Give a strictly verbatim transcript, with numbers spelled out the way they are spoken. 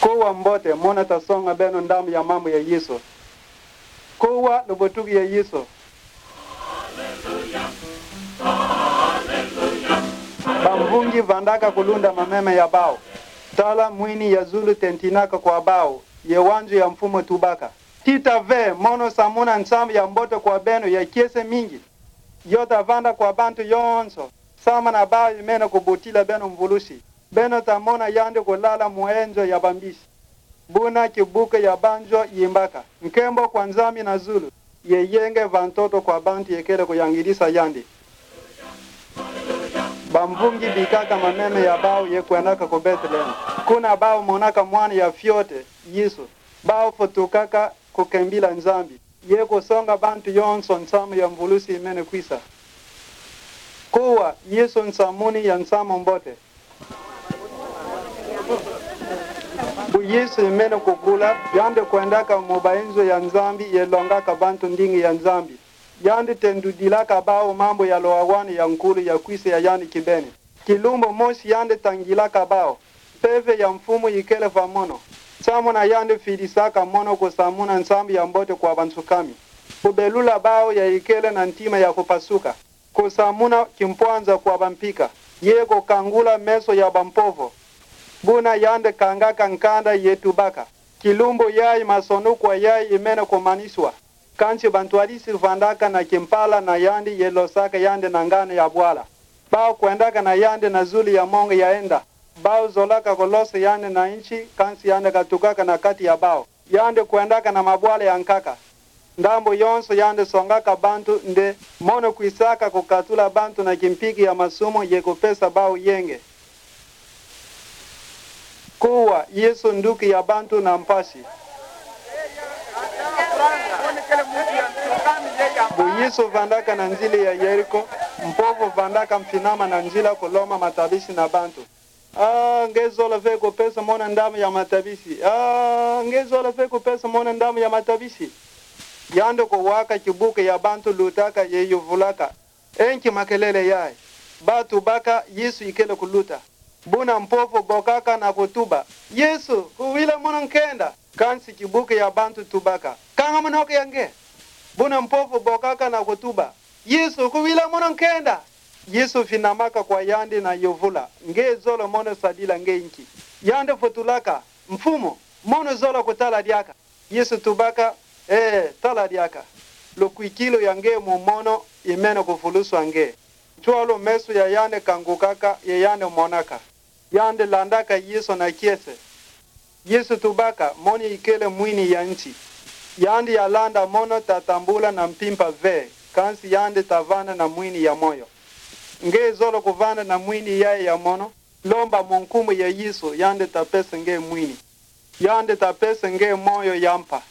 Kuwa mbote, mono atasonga beno ndambu ya mambu ya Yesu. Kuwa lubotuki ya Yesu. Bamvungi vandaka kulunda mameme ya bau. Tala mwini ya zulu tentinaka kwa bau, ye wanzu ya mfumu tubaka: Tita ve, mono samuna nsambu ya mbote kwa beno ya kiese mingi. Yo tavanda kwa bantu yonso, samana bau imene kubutila beno mvulusi. Beno tamona yandi kulala mu enzo ya bambisi. Buna kibuke ya banzo yimbaka: Nkembo kwa Nzambi na zulu, ye yenge va ntoto kwa bantu yekele kuyangidisa yandi. Bamvungi bikaka mameme ya bau ye kwendaka ku Beteleme. Kuna bau monaka mwana ya fiote, Yesu. Bau futukaka kukembila Nzambi, ye kusonga bantu yonso nsambu ya mvulusi imene kwisa. Kuwa, Yesu nsamuni ya nsamu mbote. Bu Yesu imene kukula, yandi kwendaka mu baenzo ya Nzambi ye longaka bantu ndinga ya Nzambi. Yandi tendudilaka bau mambu ya loawani ya nkulu ya kwisa ya yandi kibeni. Kilumbu mosi yandi tangilaka bau. Mpeve ya mfumu ikele va mono. Samuna yandi fidisaka mono kusamuna nsambu ya mbote kwa bansukami. Kubelula bau ya ikele na ntima ya kupasuka. Kusamuna kimpwanza kwa bampika. Ye kukangula meso ya bampovo. Buna yandi kangaka nkanda ye tubaka: Kilumbu yayi masonu kwa yayi imene kumaniswa. Kansi bantwadisi vandaka na kimpala na yandi ye losaka yandi na ngana ya bwala. Bau kwendaka na yandi na zulu ya mongo ya enda. Bau zolaka kulosa yandi na nsi, kansi yandi katukaka na kati ya bau. Yandi kwendaka na mabwala ya nkaka. Ndambu yonso yandi songaka bantu nde, mono kwisaka kukatula bantu na kimpiki ya masumu ye kupesa bau yenge. Kuwa, Yesu nduki ya bantu na mpasi. Bu Yesu vandaka na nzila ya Yeriko, mpovo vandaka mfinama na nzila kuloma matabisi na bantu. Ah, nge zola ve kupesa mono ndambu ya matabisi. Ah, nge zola ve kupesa mono ndambu ya matabisi. Yandi kuwaka kibuke ya bantu lutaka ye yuvulaka: Enki makelele yayi? Bau tubaka Yesu ikele kuluta. Buna mpovo bokaka na kutuba: Yesu, kuwila mono nkenda. Kansi kibuke ya bantu tubaka: Kanga monoka ya nge. Buna mpovo bokaka na kutuba: Yesu, kuwila mono nkenda. Yesu finamaka kwa yandi na yuvula: Nge zola mono sadila nge nki? Yandi futulaka: Mfumu, mono zola kutala diaka. Yesu tubaka: Ee, tala diaka. Lukwikilu ya nge mu mono imene kuvuluswa nge. Ntiolo meso ya yandi kangukaka ye yandi monaka. Yandi landaka Yesu na kiese. Yesu tubaka: Mono ikele mwini ya nsi. Yandi yalanda mono tatambula na mpimpa ve, kansi yandi tavana na mwini ya moyo. Nge zola kuvana na mwini yayi ya mono? Lomba mu nkumbu ya Yesu, yandi tapesa nge mwini. Yandi tapesa nge moyo ya mpa.